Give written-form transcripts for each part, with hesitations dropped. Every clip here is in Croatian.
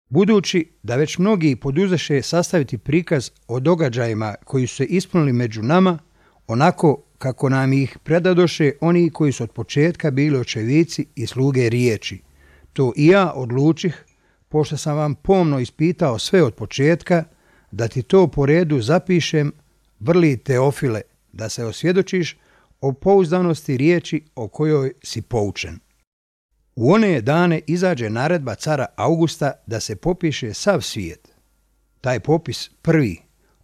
Budući da već mnogi poduzeše sastaviti prikaz o događajima koji su se ispunili među nama, onako kako nam ih predadoše oni koji su od početka bili očevici i sluge riječi, to i ja odlučih, pošto sam vam pomno ispitao sve od početka, da ti to po redu zapišem, vrli Teofile, da se osvjedočiš o pouzdanosti riječi o kojoj si poučen. U one dane izađe naredba cara Augusta da se popiše sav svijet. Taj popis prvi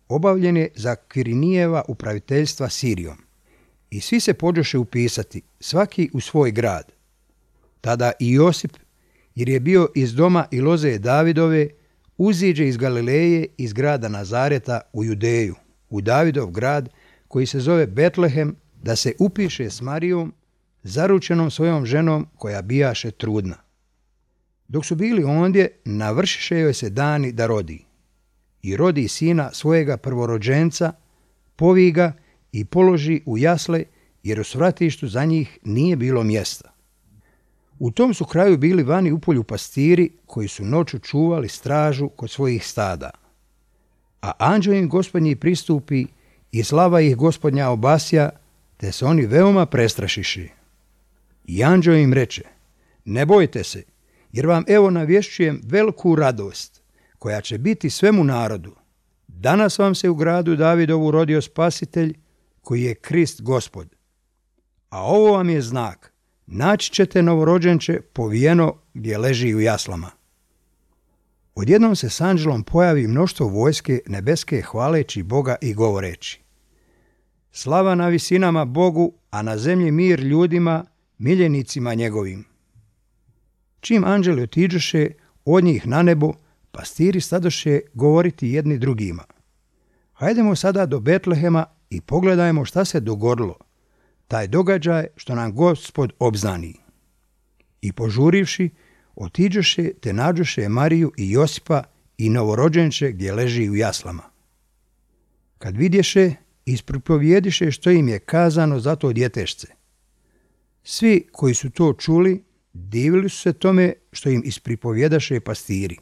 obavljen je za Kvirinijeva upraviteljstva Sirijom. I svi se pođoše upisati, svaki u svoj grad. Tada i Josip, jer je bio iz doma i loze Davidove, uziđe iz Galileje, iz grada Nazareta u Judeju, u Davidov grad koji se zove Betlehem, da se upiše s Marijom, zaručenom svojom ženom koja bijaše trudna. Dok su bili ondje, navršiše joj se dani da rodi. I rodi sina svojega prvorođenca, povi ga i položi u jasle, jer u svratištu za njih nije bilo mjesta. U tom su kraju bili vani u polju pastiri koji su noću čuvali stražu kod svojih stada. A anđeo im Gospodnji pristupi i slava ih Gospodnja obasja, te se oni veoma prestrašiše. I anđeo im reče, ne bojte se, jer vam evo navješćujem veliku radost, koja će biti svemu narodu. Danas vam se u gradu Davidovu rodio spasitelj, koji je Krist Gospod. A ovo vam je znak, naći ćete novorođenče povijeno gdje leži u jaslama. Odjednom se s anđelom pojavi mnoštvo vojske nebeske hvaleći Boga i govoreći, slava na visinama Bogu, a na zemlji mir ljudima, miljenicima njegovim. Čim anđeli otiđoše od njih na nebo, pastiri stadoše govoriti jedni drugima. Hajdemo sada do Betlehema i pogledajmo šta se dogodilo, taj događaj što nam Gospod obznani. I požurivši, otiđoše te nađoše Mariju i Josipa i novorođenče gdje leži u jaslama. Kad vidješe, ispripovijediše što im je kazano za to djetešce. Svi koji su to čuli, divili su se tome što im ispripovjedaše pastiri.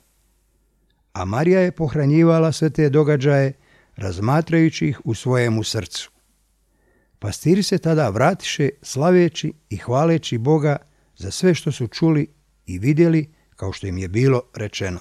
A Marija je pohranjivala sve te događaje, razmatrajući ih u svojemu srcu. Pastiri se tada vratiše slaveći i hvaleći Boga za sve što su čuli i vidjeli, kao što im je bilo rečeno.